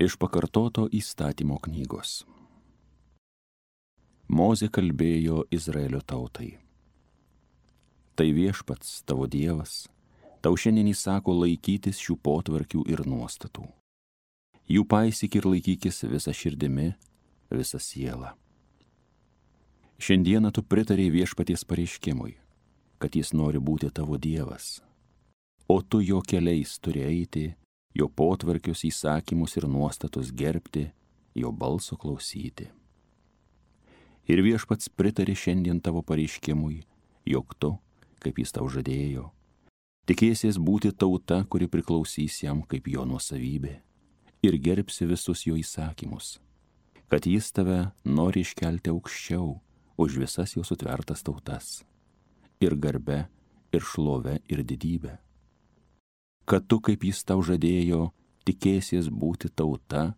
Iš pakartoto įstatymo knygos. Mozė kalbėjo Izraelio tautai. Tai Viešpats, tavo Dievas, tau šiandien įsako laikytis šių potvarkių ir nuostatų. Jų paisyk ir laikykis visą širdimi, visą sielą. Šiandieną tu pritarei Viešpaties pareiškimui, kad jis nori būti tavo Dievas, o tu jo keliais turi eiti, jo potvarkius, įsakymus ir nuostatus gerbti, jo balso klausyti. Ir Viešpats pritarė šiandien tavo pareiškimui, jog tu, kaip jis tau žadėjo, tikėsies būti tauta, kuri priklausys jam kaip jo nuosavybė, ir gerbsi visus jo įsakymus, kad jis tave nori iškelti aukščiau už visas jo sutvertas tautas, ir garbe, ir šlove, ir didybę. Kad tu, kaip jis tau žadėjo, tikėsies būti tauta,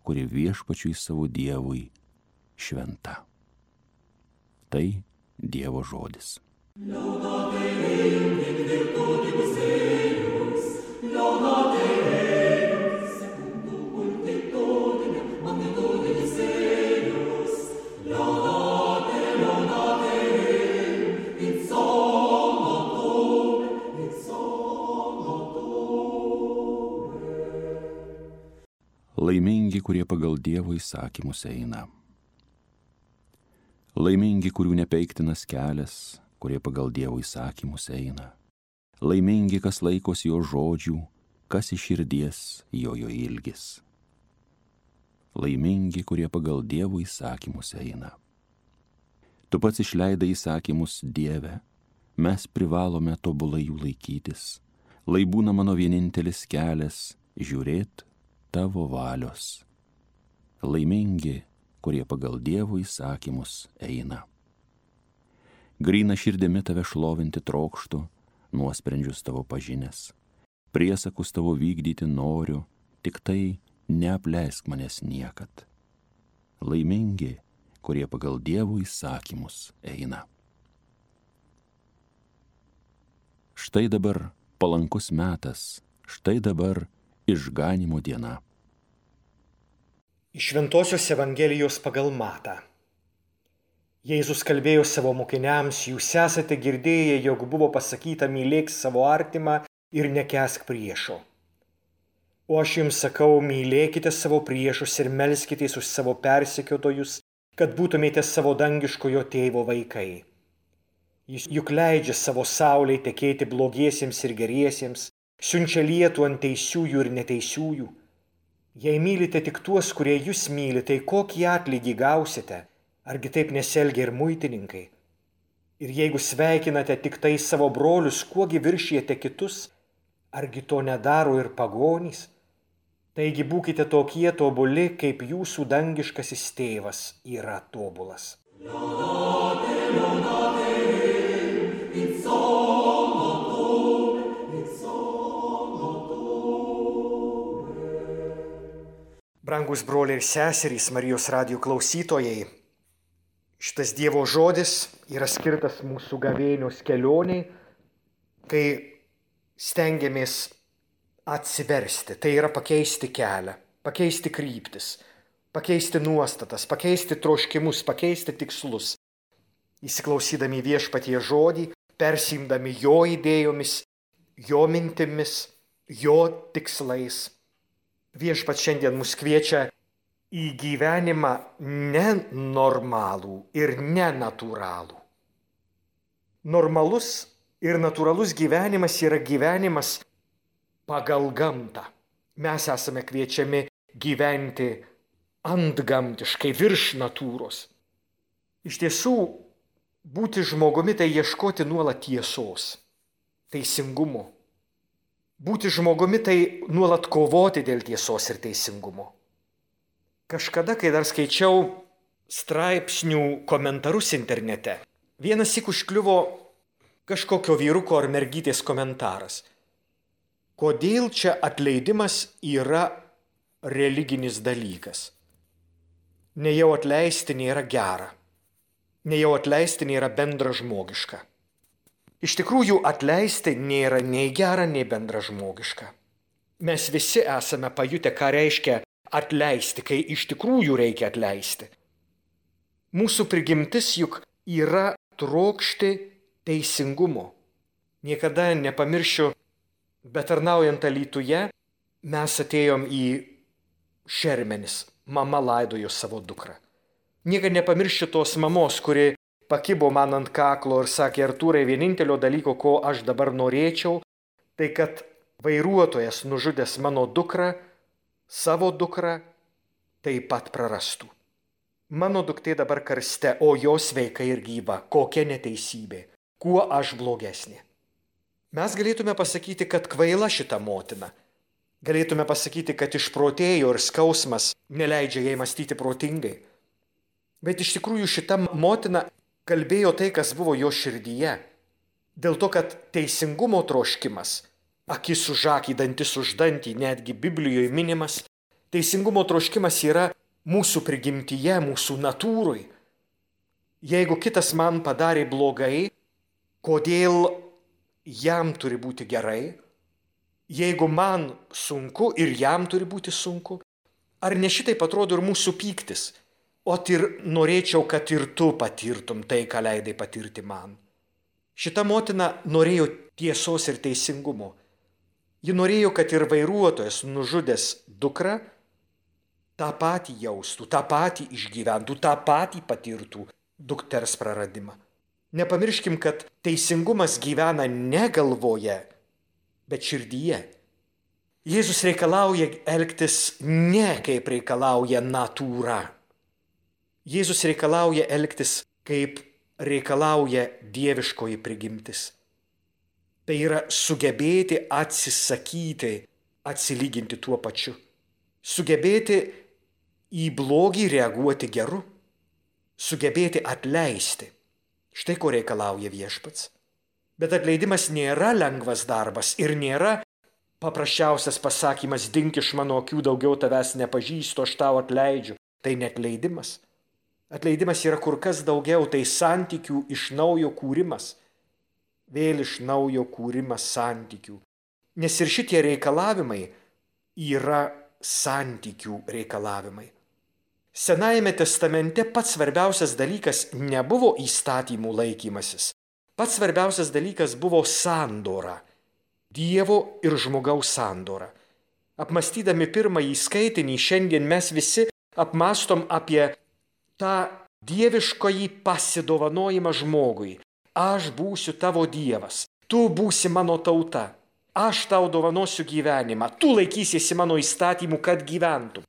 kuri Viešpačiui savo Dievui šventa. Tai Dievo žodis. Laimingi, kurie pagal Dievo įsakymus eina. Laimingi, kurių nepeiktinas kelias, kurie pagal Dievo įsakymus eina. Laimingi, kas laikosi jo žodžių, kas iš širdies jo ilgis. Laimingi, kurie pagal Dievo įsakymus eina. Tu pats išleidai įsakymus, Dieve, mes privalome tobulai jų laikytis. Lai būna mano vienintelis kelias žiūrėt tavo valios. Laimingi, kurie pagal Dievo įsakymus eina. Gryna širdimi tave šlovinti trokštu, nuosprendžius tavo pažinęs. Priesakus tavo vykdyti noriu, tik tai neapleisk manęs niekad. Laimingi, kurie pagal Dievo įsakymus eina. Štai dabar palankus metas, štai dabar išganymo diena. Iš Šventosios Evangelijos pagal Matą. Jėzus kalbėjo savo mokiniams, jūs esate girdėję, jog buvo pasakyta mylėk savo artimą ir nekęsk priešo. O aš jums sakau, mylėkite savo priešus ir melskitės už savo persekiotojus, kad būtumėte savo dangiškojo tėvo vaikai. Jis juk leidžia savo saulei tekėti blogiesiems ir geriesiems, siunčia lietų ant teisiųjų ir neteisiųjų. Jei mylite tik tuos, kurie jūs myli, tai kokį atlygį gausite? Argi taip nesielgia ir muitininkai? Ir jeigu sveikinate tik tai savo brolius, kuogi viršijate kitus? Argi to nedaro ir pagonys? Taigi būkite tokie tobuli, kaip jūsų dangiškasis tėvas yra tobulas. Brangus broliai ir seserys, Marijos radijo klausytojai, šitas Dievo žodis yra skirtas mūsų gavėnios kelioniai, kai stengiamės atsiversti, tai yra pakeisti kelią, pakeisti kryptis, pakeisti nuostatas, pakeisti troškimus, pakeisti tikslus. Įsiklausydami Viešpatie žodį, persiimdami jo idėjomis, jo mintimis, jo tikslais. Viešpats šiandien mus kviečia į gyvenimą nenormalų ir nenatūralų. Normalus ir natūralus gyvenimas yra gyvenimas pagal gamtą. Mes esame kviečiami gyventi antgamtiškai, virš natūros. Iš tiesų, būti žmogumi tai ieškoti nuolat tiesos, teisingumo. Būti žmogumi tai nuolat kovoti dėl tiesos ir teisingumo. Kažkada, kai dar skaičiau straipsnių komentarus internete, vienąsyk užkliuvo kažkokio vyruko ar mergytės komentaras. Kodėl čia atleidimas yra religinis dalykas? Nejau atleisti nėra gera. Nejau atleisti nėra bendražmogiška. Iš tikrųjų, atleisti nėra nei gera, nei bendražmogiška. Mes visi esame pajutę, ką reiškia atleisti, kai iš tikrųjų reikia atleisti. Mūsų prigimtis juk yra trokšti teisingumo. Niekada nepamiršiu, bet tarnaujant Alytuje, mes atėjom į Šermenis. Mama laidojo savo dukrą. Niekada nepamiršiu tos mamos, kuri pakibo man ant kaklo ir sakė: Artūrai, vienintelio dalyko, ko aš dabar norėčiau, tai kad vairuotojas nužudęs mano dukrą, savo dukrą, taip pat prarastų. Mano duktė dabar karste, o jos sveika ir gyva. Kokia neteisybė. Kuo aš blogesnė? Mes galėtume pasakyti, kad kvaila šita motina. Galėtume pasakyti, kad išprotėjo ir skausmas neleidžia jai mąstyti protingai. Bet iš tikrųjų šita motina kalbėjo tai, kas buvo jo širdyje. Dėl to, kad teisingumo troškimas, akis už akį, dantis už dantį, netgi Biblijoje minimas, teisingumo troškimas yra mūsų prigimtyje, mūsų natūrui. Jeigu kitas man padarė blogai, kodėl jam turi būti gerai? Jeigu man sunku ir jam turi būti sunku? Ar ne šitaip atrodo ir mūsų pyktis? O ir norėčiau, kad ir tu patirtum tai, ką leidai patirti man. Šita motina norėjo tiesos ir teisingumo. Ji norėjo, kad ir vairuotojas nužudęs dukrą tą patį jaustų, tą patį išgyventų, tą patį patirtų dukters praradimą. Nepamirškim, kad teisingumas gyvena ne galvoje, bet širdyje. Jėzus reikalauja elgtis ne kaip reikalauja natūra. Jėzus reikalauja elgtis kaip reikalauja dieviškoji prigimtis. Tai yra sugebėti atsisakyti, atsilyginti tuo pačiu. Sugebėti į blogį reaguoti geru. Sugebėti atleisti. Štai ko reikalauja Viešpats. Bet atleidimas nėra lengvas darbas ir nėra paprasčiausias pasakymas: dink iš mano akių, daugiau tavęs nepažįstu, aš tau atleidžiu. Tai neatleidimas. Atleidimas yra kur kas daugiau, tai santykių iš naujo kūrimas. Vėl iš naujo kūrimas santykių. Nes ir šitie reikalavimai yra santykių reikalavimai. Senajame testamente pats svarbiausias dalykas nebuvo įstatymų laikymasis. Pats svarbiausias dalykas buvo sandora. Dievo ir žmogaus sandora. Apmąstydami pirmąjį skaitinį, šiandien mes visi apmąstom apie tą dieviškąjį pasidovanojimą žmogui. Aš būsiu tavo Dievas, tu būsi mano tauta, aš tau dovanosiu gyvenimą, tu laikysiesi mano įstatymų, kad gyventum.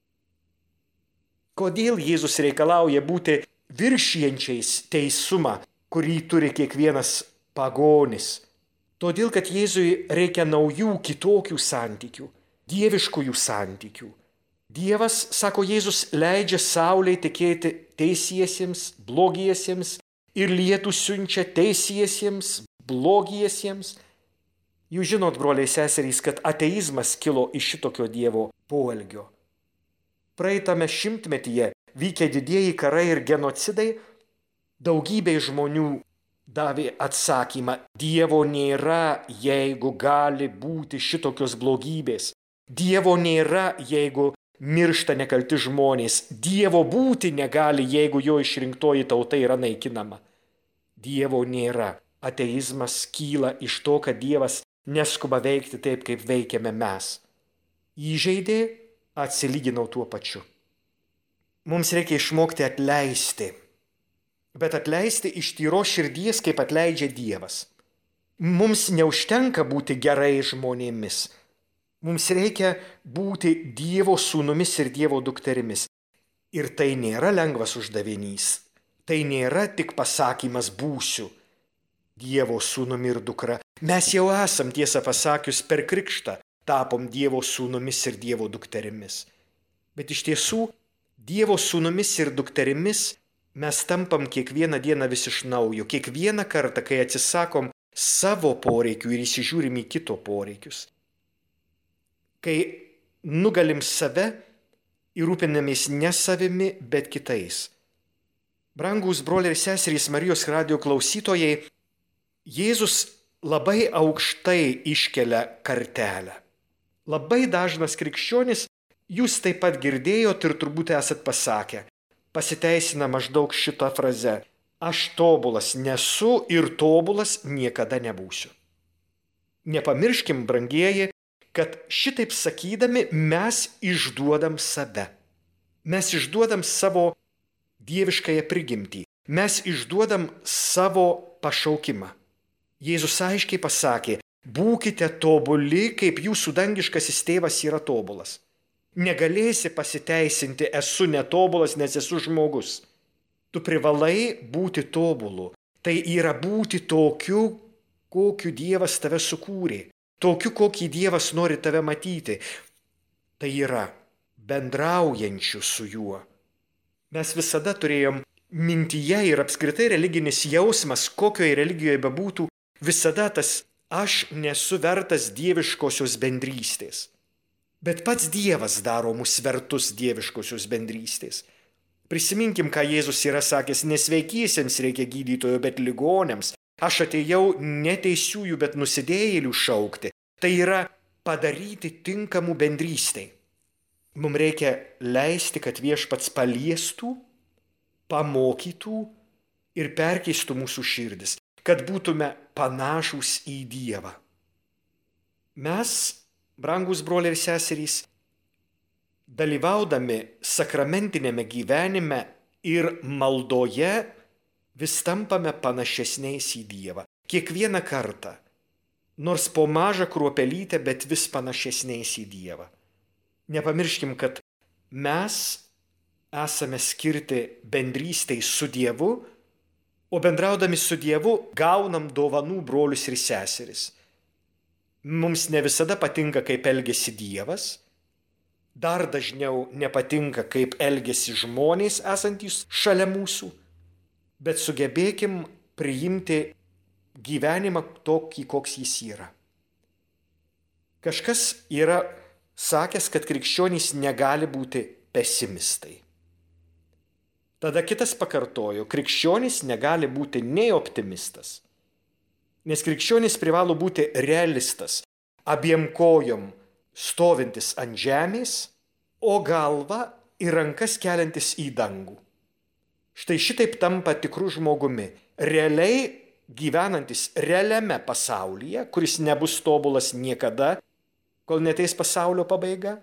Kodėl Jėzus reikalauja būti viršijančiais teisumą, kurį turi kiekvienas pagonis? Todėl, kad Jėzui reikia naujų, kitokių santykių, dieviškųjų santykių. Dievas, sako Jėzus, leidžia saulei tekėti teisiesiems, blogiesiems ir lietų siunčia teisiesiems, blogiesiems. Jūs žinot, broliai seserys, kad ateizmas kilo iš šitokio Dievo poelgio. Praeitame šimtmetyje vykę didieji karai ir genocidai daugybei žmonių davė atsakymą: Dievo nėra, jeigu gali būti šitokios blogybės. Dievo nėra, jeigu miršta nekalti žmonės. Dievo būti negali, jeigu jo išrinktoji tauta yra naikinama. Dievo nėra. Ateizmas kyla iš to, kad Dievas neskuba veikti taip, kaip veikiame mes. Įžeidė, atsilyginau tuo pačiu. Mums reikia išmokti atleisti. Bet atleisti iš tyros širdies, kaip atleidžia Dievas. Mums neužtenka būti gerai žmonėmis. Mums reikia būti Dievo sūnumis ir Dievo dukterimis. Ir tai nėra lengvas uždavinys. Tai nėra tik pasakymas būsiu Dievo sūnumi ir dukra. Mes jau esam, tiesą pasakius, per krikštą tapom Dievo sūnumis ir Dievo dukterimis. Bet iš tiesų, Dievo sūnumis ir dukterimis mes tampam kiekvieną dieną vis iš naujo. Kiekvieną kartą, kai atsisakom savo poreikių ir įsižiūrim į kito poreikius. Kai nugalim save ir rūpinamės ne savimi, bet kitais. Brangūs broliai ir seserys, Marijos radijo klausytojai, Jėzus labai aukštai iškelia kartelę. Labai dažnas krikščionis Jūs taip pat girdėjot ir turbūt esat pasakę. Pasiteisina maždaug šitą frazę. Aš tobulas nesu ir tobulas niekada nebūsiu. Nepamirškim, brangieji, kad šitaip sakydami mes išduodam save. Mes išduodam savo dieviškąją prigimtį. Mes išduodam savo pašaukimą. Jėzus aiškiai pasakė, būkite tobuli, kaip jūsų dangiškasis tėvas yra tobulas. Negalėsi pasiteisinti, esu netobulas, nes esu žmogus. Tu privalai būti tobulu. Tai yra būti tokiu, kokiu Dievas tave sukūrė. Tokiu, kokį Dievas nori tave matyti. Tai yra bendraujančiu su juo. Mes visada turėjom mintyje ir apskritai religinis jausmas, kokioje religijoje bebūtų, visada tas aš nesu vertas dieviškosios bendrystės. Bet pats Dievas daro mus vertus dieviškosios bendrystės. Prisiminkim, ką Jėzus yra sakęs, nesveikiesiems reikia gydytojo, bet ligoniams. Aš atėjau ne teisiųjų, bet nusidėjėlių šaukti. Tai yra padaryti tinkamų bendrystei. Mums reikia leisti, kad Viešpats paliestų, pamokytų ir perkeistų mūsų širdis, kad būtume panašūs į Dievą. Mes, brangus broliai ir seserys, dalyvaudami sakramentinėme gyvenime ir maldoje vis tampame panašesniais į Dievą. Kiekvieną kartą, nors po mažą kruopelytę, bet vis panašesniais į Dievą. Nepamirškim, kad mes esame skirti bendrystei su Dievu, o bendraudami su Dievu gaunam dovanų brolius ir seseris. Mums ne visada patinka, kaip elgiasi Dievas, dar dažniau nepatinka, kaip elgiasi žmonės esantys šalia mūsų, bet sugebėkim priimti gyvenimą tokį, koks jis yra. Kažkas yra sakęs, kad krikščionys negali būti pesimistai. Tada kitas pakartojo, krikščionys negali būti nei optimistas, nes krikščionys privalo būti realistas, abiem kojom stovintis ant žemės, o galvą ir rankas keliantis į dangų. Štai šitaip tampa tikru žmogumi, realiai gyvenantis realiame pasaulyje, kuris nebus tobulas niekada, kol neteis pasaulio pabaiga,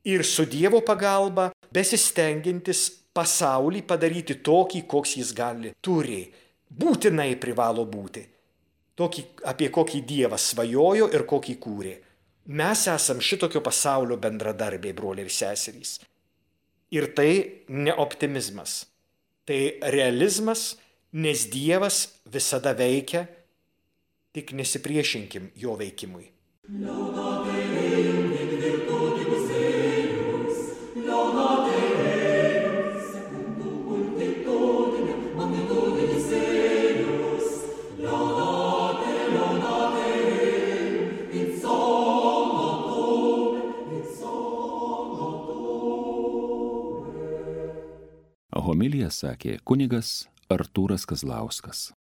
ir su Dievo pagalba besistengiantis pasaulį padaryti tokį, koks jis turi, būtinai privalo būti. Tokį, apie kokį Dievas svajojo ir kokį kūrė. Mes esam šitokio pasaulio bendradarbiai, broliai ir seserys. Ir tai ne optimizmas, tai realizmas, nes Dievas visada veikia, tik nesipriešinkim jo veikimui. Homiliją sakė kunigas Artūras Kazlauskas.